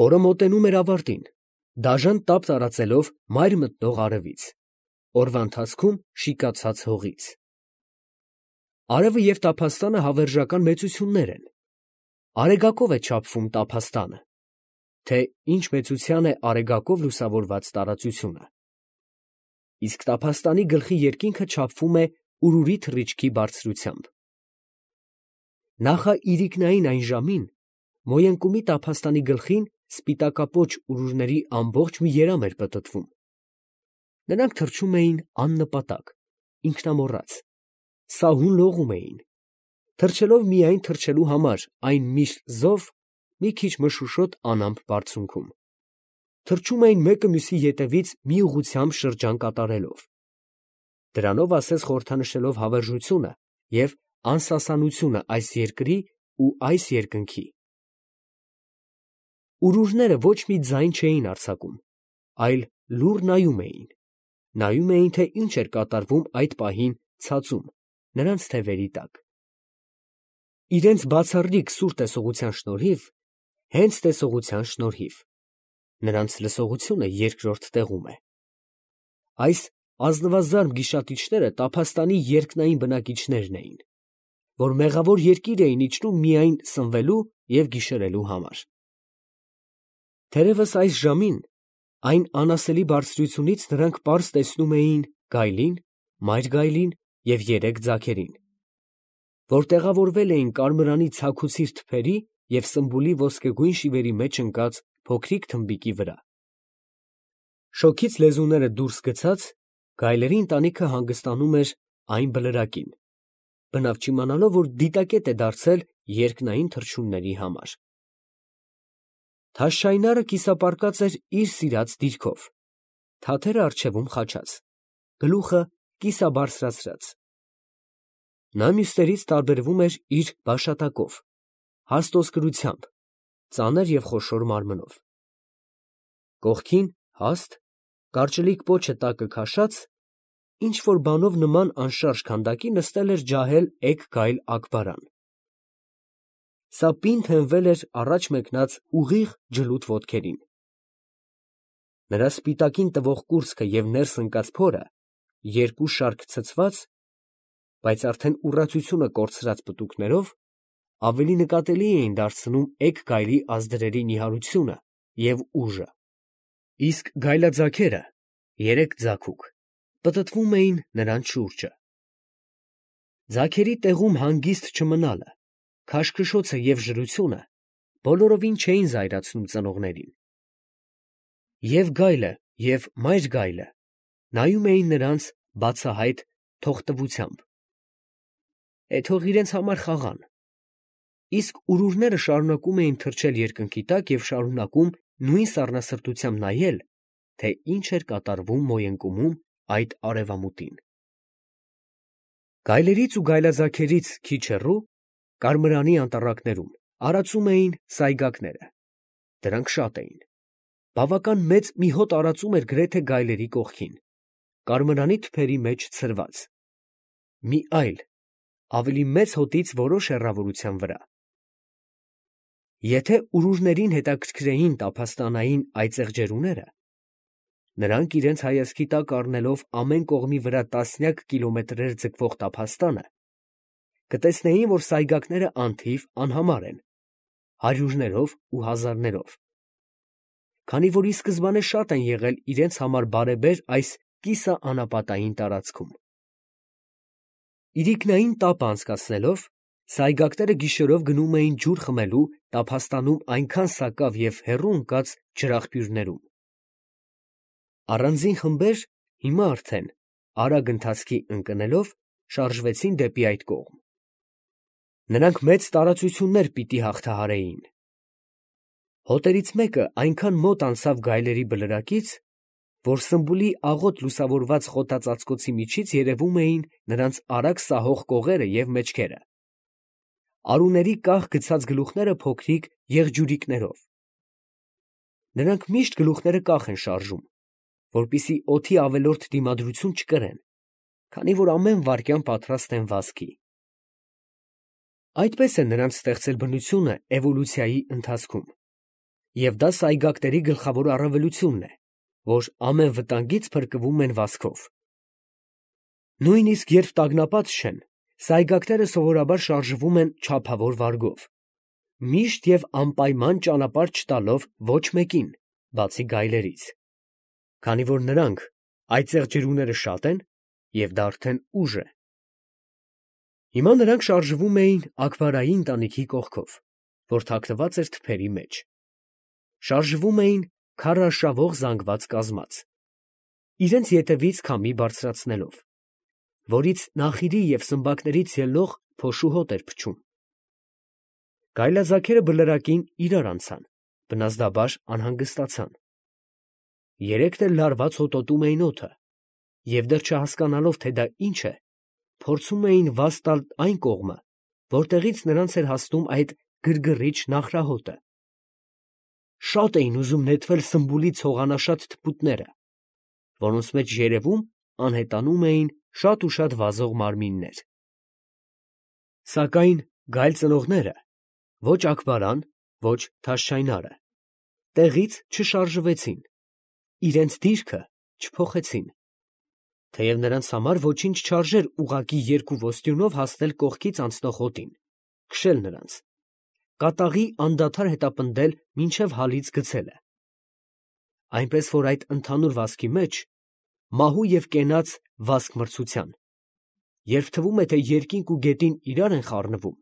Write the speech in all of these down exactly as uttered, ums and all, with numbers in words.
Օրը մոտենում էր ավարտին, դաժան տապ տարածելով մայր մտնող արևից, օրվա ընթացքում շիկացած հողից։ Արևը և տափաստանը հավերժական մեծություններ են. արեգակով է չափվում տափաստանը, թե ինչ մեծության է արեգակով լուսավորված տարածությունը, իսկ տափաստանի գլխի երկինքը չափվում է ուրուրի թռիչքի բարձրությամբ։ Նախաիրիկնային այն ժամին Մոյընկումի տափաստանի գլխին սպիտակապոչ ուրուրների ամբողջ մի երամ էր պտտվում. նրանք թռչում էին աննպատակ, ինքնամոռաց, սահուն լողում էին, թռչելով միայն թռչելու համար այն միշտ զով, մի քիչ մշուշոտ անամպ բարձունքում, թռչում էին մեկը մյուսի ետևից մի ուղղությամբ շրջան կատարելով, դրանով ասես խորհրդանշելով հավերժությունը և անսասանությունը այս երկրի ու այս երկնքի։ Ուրուրները ոչ մի ձայն չէին արձակում, այլ լուռ նայում էին, նայում էին, թե ինչ էր կատարվում այդ պահին ցածում, նրանց թևերի տակ։ Իրենց բացառիկ սուր տեսողության շնորհիվ, հենց տեսողության շնորհիվ, նրանց լսողությունը երկրորդ տեղում է։ Այս ազնվազարդ գիշատիչները տափաստանի երկնային բնակիչներն էին, որ մեղավոր երկիր էին իջնում միայն սնվելու և գիշերելու համար։ Թերևս այս ժամին, այն անասելի բարձրությունից նրանք պարզ տեսնում էին գայլին, մայր գայլին և երեք ձագերին, որ տեղավորվել էին կարմրանի ցաքուցիր թփերի և սմբուլի ոսկեգույն շիվերի մեջ ընկած փոքրիկ թմբիկի վրա։ Շոգից լեզուները դուրս գցած, գայլերի ընտանիքը հանգստանում էր այն բլրակին, բնավ չիմանալով, որ դիտակետ է դարձել երկնային թռչունների համար։ Թաշշայնարը կիսապարկած էր իր սիրած դիրքով, թաթերը առջևում խաչած, գլուխը կիսաբարձրացրած։ Նա մյուսներից տարբերվում էր իր բաշատակով, հաստ ոսկրությամբ, ծանր և խոշոր մարմնով։ Կողքին հաստ, կարճլիկ պոչը տակը քաշած, ինչ֊որ բանով նման անշարժ քանդակի նստել էր ջահել էգ գայլ Աքբարան։ Սա պինդ հենվել էր առաջ մեկնած ուղիղ ջլութ ոտքերին։ Նրա սպիտակին տվող կուրծքը և ներս ընկած փորը, երկու շարք ցցված, բայց արդեն ուռածությունը կորցրած պտուկներով, ավելի նկատելի էին դարձնում էգ գայլի ազդրերի նիհարությունը և ուժը, իսկ գայլաձագերը, երեք ձագուկ, պտտվում էին նրանց շուրջը։ Ձագերի տեղում հանգիստ չմնալը, քաշքշոցը և ժրությունը բոլորովին չէին զայրացնում ծնողներին։ Եվ գայլը, և մայր գայլը նայում էին նրանց բացահայտ թողտվությամբ. «Է թող իրենց համար խաղան»։ Իսկ ուրուրները շարունակում էին թռչել երկնքի տակ և շարունակում նույն սառնասրտությամբ նայել, թե ինչ էր կատարվում Մոյընկումում այդ արևամուտին։ Գայլերից ու գայլաձագերից քիչ հեռու, կարմրանի անտառակներում, արածում էին սայգակները. դրանք շատ էին, բավական մեծ մի հոտ արածում էր գրեթե գայլերի կողքին, կարմրանի թփերի մեջ ցրված, մի այլ, ավելի մեծ հոտից որոշ հեռավորության վրա։ Եթե ուրուրներին հետաքրքրեին տափաստանային այծեղ ջերուները, նրանք իրենց հայացքի տակ առնելով ամեն կողմի վրա տասնյակ կիլոմետրեր ձգվող տափաստանը, կտեսնեին, որ սայգակները անթիվ անհամար են, հարյուրներով ու հազարներով, քանի որ ի սկզբանե շատ են եղել իրենց համար բարեբեր այս կիսաանապատային տարածքում։ Իրիկնային տապը անցկացնելով, սայգակները գիշերով գնում էին ջուր խմելու տափաստանում այնքան սակավ և հեռու ընկած ջրաղբյուրներում։ Առանձին խմբեր հիմա արդեն, արագ ընթացքի ընկնելով, շարժվեցին դեպի այդ կողմ։ Նրանք մեծ տարածություններ պիտի հաղթահարեին։ Հոտերից մեկը այնքան մոտ անցավ գայլերի բլրակից, որ սմբուլի աղոտ լուսավորված խոտածածկոցի միջից երևում էին նրանց արագ սահող կողերը և մեջքերը, արուների կախ գցած գլուխները փոքրիկ եղջյուրիկներով։ Նրանք միշտ գլուխները կախ են շարժում, որպեսզի օդի ավելորդ դիմադրություն չկրեն, քանի որ ամեն վայրկյան պատրաստ են վազքի։ Այդպես է նրանց ստեղծել բնությունը էվոլյուցիայի ընթացքում, Եվ դա սայգակների գլխավոր առավելությունն է, որ ամեն վտանգից փրկվում են վազքով։ Նույնիսկ երբ տագնապած չեն, սայգակները սովորաբար շարժվում են չափավոր վարգով, միշտ և անպայման ճանապարհ չտալով ոչ մեկին, բացի գայլերից, քանի որ նրանք այծեղ ջրուները շատ են, և դա արդեն ուժ է։ Հիմա նրանք շարժվում էին Աքբարայի ընտանիքի կողքով, որ թաքնված էր թփերի մեջ, շարժվում էին քարարշավող զանգված կազմած, իրենց ետևից քամի բարձրացնելով, որից նախիրի և սմբակներից ելնող փոշու հոտ էր փչում։ Գայլաձագերը բլրակին իրար անցան, բնազդաբար անհանգստացան։ Երեքն էլ լարված հոտոտում էին օդը, և դեռ չհասկանալով, թե դա ինչ է, փորձում էին վազ տալ այն կողմը, որտեղից նրանց էր հասնում այդ գրգռիչ նախրահոտը։ Շատ էին ուզում նետվել սմբուլի ցողանաշատ թփուտները, որոնց մեջ երևում անհետանում էին շատ ու շատ վազող մարմիններ։ Սակայն գայլ ծնողները, ոչ Աքբարան, ոչ Թաշչայնարը, տեղից չշարժվեցին, իրենց դիրքը չփոխեցին, թեև նրանց համար ոչինչ չարժեր ուղղակի երկու ոստյունով հասնել կողքից անցնող հոտին, քշել նրանց, կատաղի անդադար հետապնդել մինչև հալից գցելը, այնպես որ այդ ընդհանուր վազքի մեջ, մահու և կենաց վազք֊մրցության, երբ թվում է, թե երկինք ու գետին իրար են խառնվում,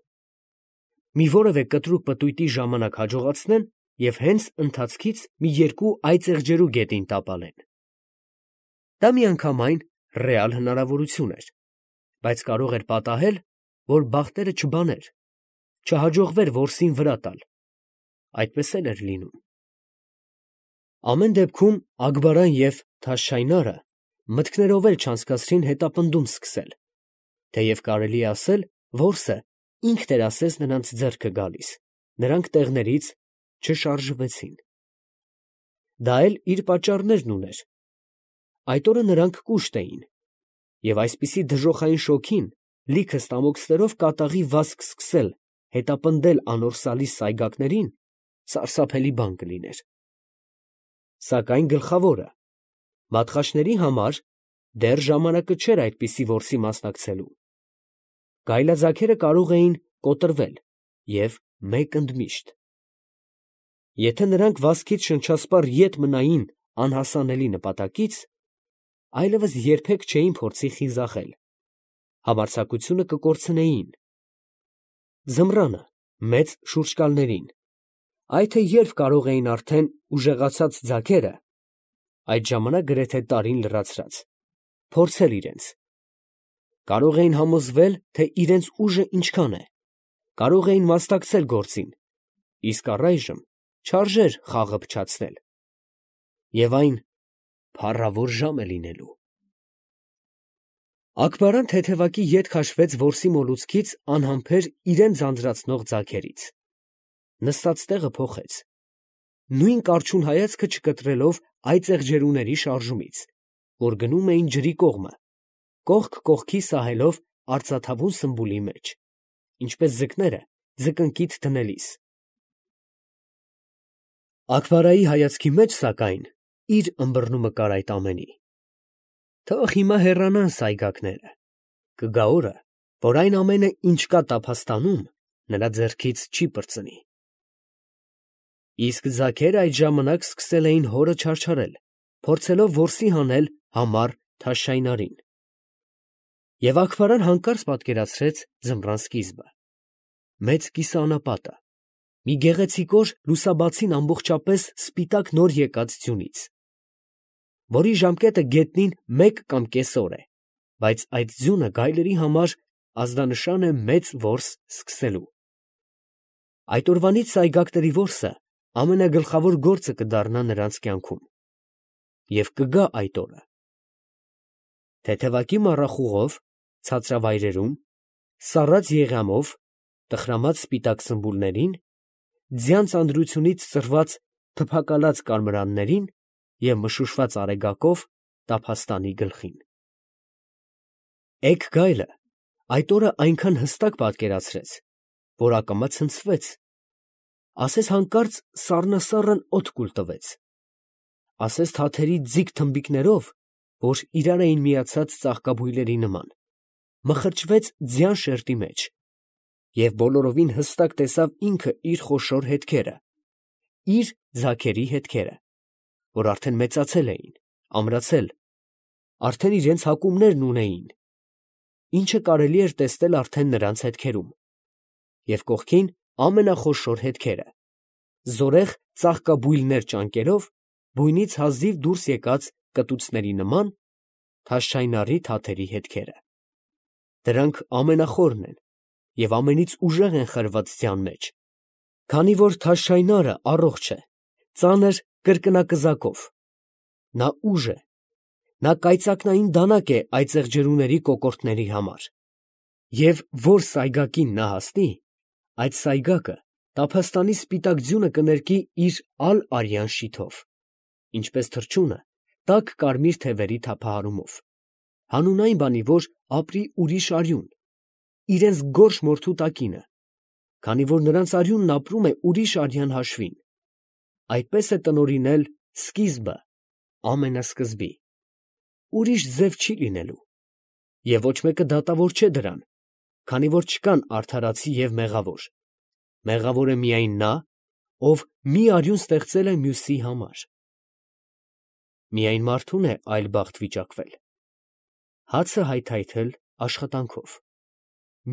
մի որևէ կտրուկ պտույտի ժամանակ հաջողացնեն և հենց ընթացքից մի երկու այծեղ ջրու գետին տապալեն։ Դա միանգամայն ռեալ հնարավորություն էր, բայց կարող էր պատահել, որ բախտերը չբաներ, չհաջողվեր որսին վրա տալ, այդպես էլ էր լինում։ Ամեն դեպքում Աքբարան և Թաշչայնարը մտքներով էլ չանցկացրին հետապնդում սկսել, թեև կարելի է ասել, որսը ինքն էր ասես նրանց ձեռքը գալիս, նրանք տեղներից չշարժվեցին։ Դա էլ իր պատճառներն ուներ։ Այդ օրը նրանք կուշտ էին, և այսպիսի դժոխային շոգին, լիքը ստամոքսներով կատաղի վազք սկսել հետապնդել անորսալի սայգակներին սարսափելի բան կլիներ։ Սակայն գլխավորը, մատխաշների համար դեռ ժամանակը չէր այդպիսի որսի մասնակցելու։ Գայլաձագերը կարող էին կոտրվել և մեկ ընդմիշտ։ Եթե նրանք վազքից շնչասպառ ետ մնային անհասանելի նպատակից, այլևս երբեք չէին փորձի խիզախել, համարձակությունը կկորցնեին։ Ձմռանը, մեծ շուրջկալներին, այ թե երբ կարող էին արդեն ուժեղացած ձագերը, այդ ժամանակ գրեթե տարին լրացրած, փորձել իրենց, կարող էին համոզվել, թե իրենց ուժը ինչքան է, կարող էին մասնակցել գործին, իսկ առայժմ չարժեր խաղը փչացնել, և այն փառավոր ժամ է լինելու։ Աքբարան թեթևակի ետ քաշվեց որսի մոլուցքից անհամբեր իրան ձանձրացնող ձագերից, նստած տեղը փոխեց, նույն կառչուն հայացքը չկտրելով այծեղ ջրուների շարժումից, որ գնում էին ջրի կողմը, կողք կողքի սահելով արծաթավուն սմբուլի մեջ, ինչպես ձկները ձկնկիթ դնելիս։ Աքբարայի հայացքի մեջ, սակայն, իր ըմբռնումը կար այդ ամենի։ Թող հիմա հեռանան սայգակները, կգա օրը, որ այն ամենը, ինչ կա տափաստանում, նրա ձեռքից չի պրծնի։ Իսկ ձագերը այդ ժամանակ սկսել էին հորը չարչարել, փորձելով որսի հանել համառ Թաշչայնարին։ Եվ Աքբարան հանկարծ պատկերացրեց ձմռան սկիզբը, մեծ կիսաանապատը, մի գեղեցիկ օր լուսաբացին ամբողջապես սպիտակ նոր եկած ձյունից, որի ժամկետը գետնին մեկ կամ կես օր է, բայց այդ ձյունը գայլերի համար ազդանշան է մեծ որս սկսելու։ Այդ օրվանից սայգակների որսը ամենագլխավոր գործը կդառնա նրանց կյանքում, և կգա այդ օրը։ Թեթևակի մառախուղով, ցածրավայրերում, սառած եղյամով, տխրամած սպիտակ սմբուլներին, ձյան ծանրությունից ծռված փփակալած կարմրաններին և մշուշված արեգակով տափաստանի գլխին։ Էգ գայլը այդ օրը այնքան հստակ պատկերացրեց, որ ակամա ցնցվեց, ասես հանկարծ սառնասառն օդ կուլ տվեց, ասես թաթերի ձիգ թմբիկներով, որ իրար էին միացած ծաղկաբույլերի նման, մխրճվեց ձյան շերտի մեջ, և բոլորովին հստակ տեսավ ինքը իր խոշոր հետքերը, իր ձագերի հետքերը, որ արդեն մեծացել էին, ամրացել, արդեն իրենց հակումներն ունեին, ինչը կարելի էր տեսնել արդեն նրանց հետքերում, և կողքին ամենախոշոր հետքերը, զորեղ ծաղկաբույլներ ճանկերով, բույնից հազիվ դուրս եկած կտուցների նման, թաշչայնառի թաթերի հետքերը. դրանք ամենախորն են և ամենից ուժեղ են խրված ձյան մեջ, քանի որ թաշչայնառը առողջ է, ծանր կրկնակզակով, նա ուժ է, նա կայծակնային դանակ է այծեղ ջրուների կոկորդների համար, և որ սայգակին նա հասնի, այդ սայգակը տափաստանի սպիտակ ձյունը կներկի իր ալ֊արյան շիթով, ինչպես թռչունը տաք կարմիր թևերի թափահարումով, հանուն այն բանի, որ ապրի ուրիշ արյուն, իրենց գորշ մորթու տակինը, քանի որ նրանց արյունն ապրում է ուրիշ արյան հաշվին, այդպես է տնօրինել սկիզբը ամենասկզբի, ուրիշ ձև չի լինելու, և ոչ մեկը դատավոր չէ դրան, քանի որ չկան արդարացի և մեղավոր, մեղավոր է միայն նա, ով մի արյուն ստեղծել է մյուսի համար. միայն մարդուն է այլ բախտ վիճակվել, հացը հայթայթել աշխատանքով,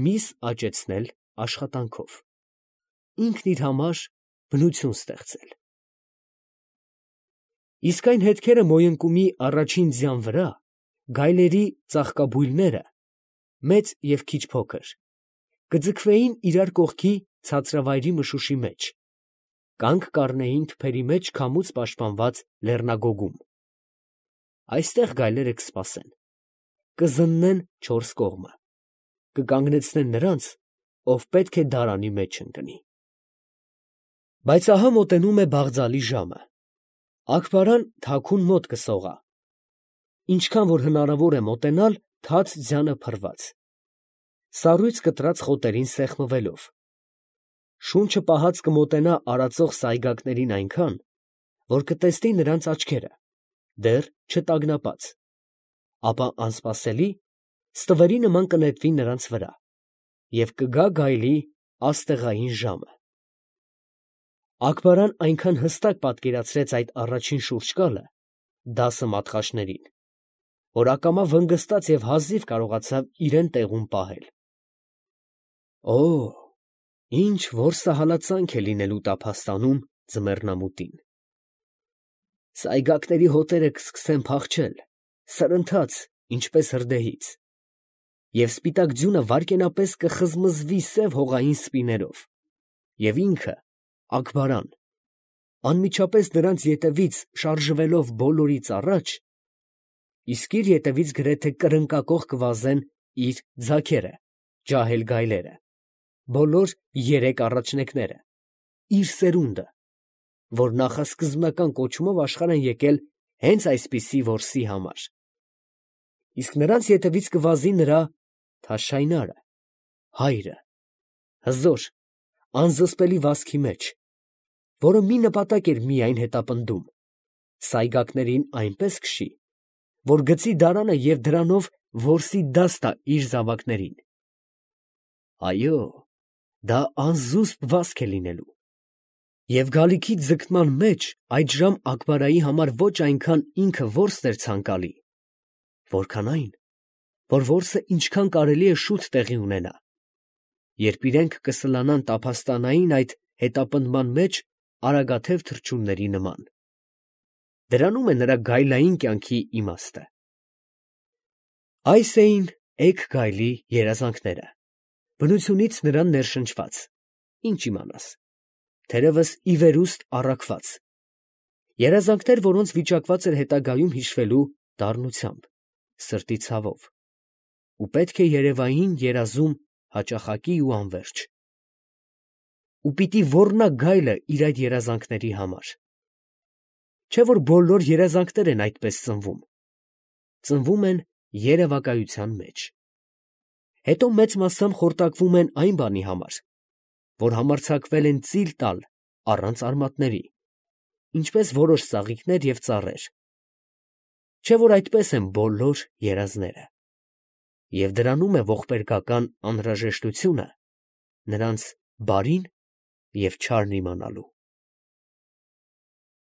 միս աճեցնել աշխատանքով, ինքն իր համար բնություն ստեղծել. իսկ այն հետքերը մոյնկումի առաջին ձյան վրա, գայլերի ծաղկաբույլները, մեծ և քիչ փոքր, կձգվեին իրար կողքի ցածրավայրի մշուշի մեջ, կանգ կառնեին թփերի մեջ քամուց պաշտպանված լեռնագոգում, այստեղ գայլերը կսպասեն, կզննեն չորս կողմը, կկանգնեցնեն նրանց, ով պետք է դարանի մեջ ընկնի։ Բայց ահա մոտենում է բաղձալի ժամը, Աքբարան թաքուն մոտ կսողա, ինչքան որ հնարավոր է մոտենալ թաց ձյանը փռված, սառույց կտրած խոտերին սեղմվելով, շունչը պահած կմոտենա արածող սայգակներին այնքան, որ կտեսնի նրանց աչքերը, դեռ չտագնապած, ապա անսպասելի, ստվերի նման կնետվի նրանց վրա, և կգա գայլի աստեղային ժամը։ Աքբարան այնքան հստակ պատկերացրեց այդ առաջին շուրջկալը, դասը մատխաշներին, որ ակամա վնգստաց և հազիվ կարողացավ իրեն տեղում պահել։ Օ՜, ինչ որսահալածանք է լինելու տափաստանում ձմեռնամուտին. սայգակների հոտերը կսկսեն փախչել, սրընթաց, ինչպես հրդեհից, և սպիտակ ձյունը վայրկենապես կխզմզվի սև հողային սպիներով, և ինքը, Աքբարան, անմիջապես նրանց ետևից շարժվելով բոլորից առաջ, իսկ իր ետևից գրեթե կրնկակող կվազեն իր ձագերը, ջահել գայլերը, բոլոր երեք առաջնեկները, իր սերունդը, որ նախասկզբնական կոչումով աշխարհ են եկել հենց այսպիսի որսի համար, իսկ նրանց ետևից կվազի նրա թաշչայնառը, հայրը, հզոր, անզսպելի վազքի մեջ, որը մի նպատակ էր միայն հետապնդում, սայգակներին այնպես քշի, որ գցի դարանը և դրանով որսի դաս տա իր զավակներին, այո, դա անզուսպ վազք է լինելու, և գալիքի ձգտման մեջ այդժամ Աքբարայի համար ոչ այնքան ինքը որսն էր ցանկալի, որքան այն, որ որսը ինչքան կարելի է շուտ տեղի ունենա, երբ իրենք կսլանան տափաստանային այդ հետապնդման մեջ արագաթև թռչունների նման։ Դրանում է նրա գայլային կյանքի իմաստը։ Այս էին էգ գայլի երազանքները, բնությունից նրան ներշնչված, ինչ իմանաս, թերևս ի վերուստ առաքված, երազանքներ, որոնց վիճակված էր հետագայում հիշվելու դառնությամբ, սրտի ցավով, ու պետք է երևային երազում հաճախակի ու անվերջ։ Ու պիտի ոռնա գայլը իր այդ երազանքների համար։ Չէ՞ որ բոլոր երազանքներ են այդպես ծնվում, ծնվում են երևակայության մեջ, հետո մեծ մասամբ խորտակվում են այն բանի համար, որ համարձակվել են ծիլ տալ առանց արմատների, ինչպես որոշ ծաղիկներ և ծառեր, չէ՞ որ այդպես են բոլոր երազները, և դրանում է ողբերգական անհրաժեշտությունը նրանց բարին և չարն իմանալու։